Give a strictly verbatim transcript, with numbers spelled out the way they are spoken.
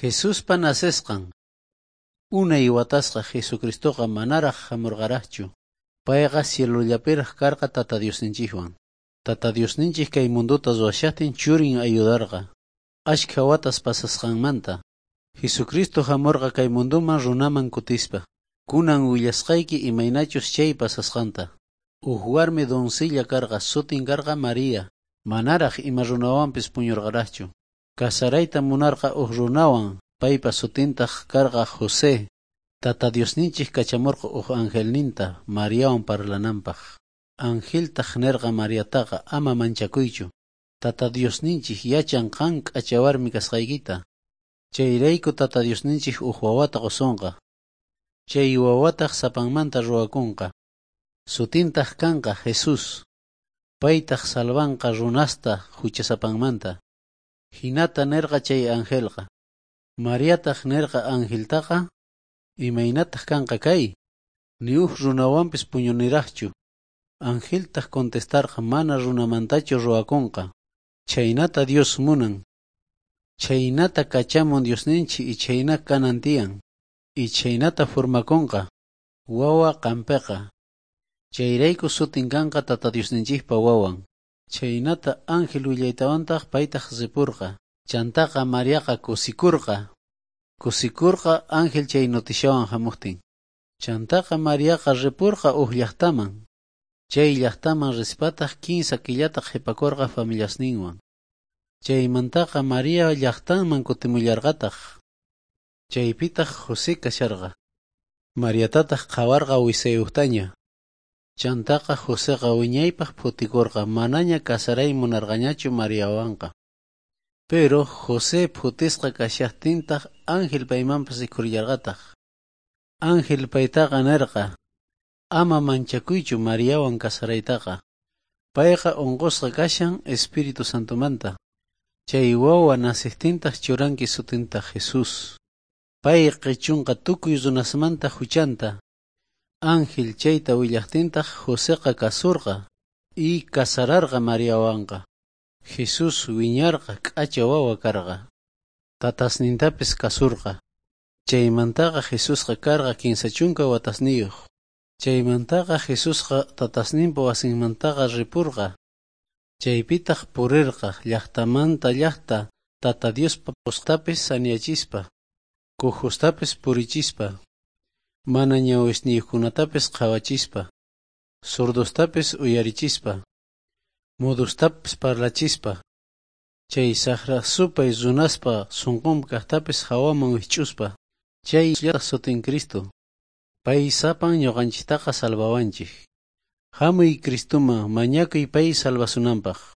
Jesuspa nacesqan. Unay watasqa Jesucristoqa manaraj jamurqarajchu. Payqa cielollapiraj karqa Tata Diosninchikwan. Tata Diosninchik kay mundota ruwashajtin churin ayudarqa. Ashkha watas pasasqanmanta. Jesucristo jamurqa kay munduman runaman kutispa. Kunan willasqayki imaynachus chay pasasqanta. Uj warmi doncella karqa sutin karqa María. Manaraj ima runawanpis puñurqarajchu. Casarayta munarqa uj runawan, paypa sutintaq karqa José. Tata Diosninchik kachamurqa uj angelninta Mariawan parlananpaq. Angeltaq nerqa Mariataqa ama manchakuychu. Tata Diosninchik yachan qan k'acha warmi kasqaykita. Chayrayku Tata Diosninchik uj wawata qusonqa. Chay wawataq sapanmanta ruwakunqa. Sutintaq kanqa Jesús. Paytaq salvanqa runasta huchasapanmanta. Hinata nerqa chay angelqa. Mariataq nerqa angeltaqa, imaynataq kanqa kay? Ni uj runawanpis puñuniraqchu. Angeltaq contestarqa mana runamantachu ruwakunqa. Chaynata Dios munan. Chaynata kachamun Diosninchik y chayna kanan tiyan. Y chaynata formakunqa. Wawa qampiqa. Chayrayku sutin kanqa Tata Diosninchikpa wawan. Chaynata ángel willaytawantaq paytaq ripurqa. Chantaqa Mariaqa kusikurqa. Kusikurqa ángel chay notishawan hamuqtin. Chantaqa Mariaqa ripurqa uj llaqtaman. Chay llaqtaman rispataq kinsa killata qhipakurqa familiasninwan. Chaymantaqa María llaqtanman kutimullarqataq. Chaypitaq José kasharqa. Mariatataq qhawarqa wisayuqtaña. Chantaqa Joseqa wiñaypaq phutikurqa manaña casaray munarqañachu Mariawanqa. Pero José phutisqa kashaqtintaq ángel paymanpas rikhurillarqataq. Ángel paytaqa nerqa, ama manchakuychu Mariawan casaraytaqa. Payqa unqusqa kashan Espíritu Santomanta. Chay wawa nacejtintaq churanki sutinta Jesús. Pay qichunqa tukuy runasmanta huchanta. Ángel chayta willaqtintaq Joseqa kasurqa y casararqa Mariawanqa. Jesús wiñarqa k'acha wawa karqa. Tatasnintapis kasurqa. Chaymantaqa Jesusqa karqa kinsa chunka watasniyuq. Chaymantaqa Jesusqa tatasninpa wasinmantaqa ripurqa. Chaypitaq purirqa llaqtamanta llaqta Tata Diospa postapis saniyachispa, cojostapis purichispa, mana ñawisniyuqkunatapis qhawachispa, sordostapis uyarichispa, mudostapis parlachispa, chay saqra supay runaspa sunqunpi kaqtapis hawaman wikch'uspa, chay sutin Cristo. Pay sapan ñuqanchiktaqa salvawanchik. Hamuy Cristuman mañakuy pay salvasunanpaq.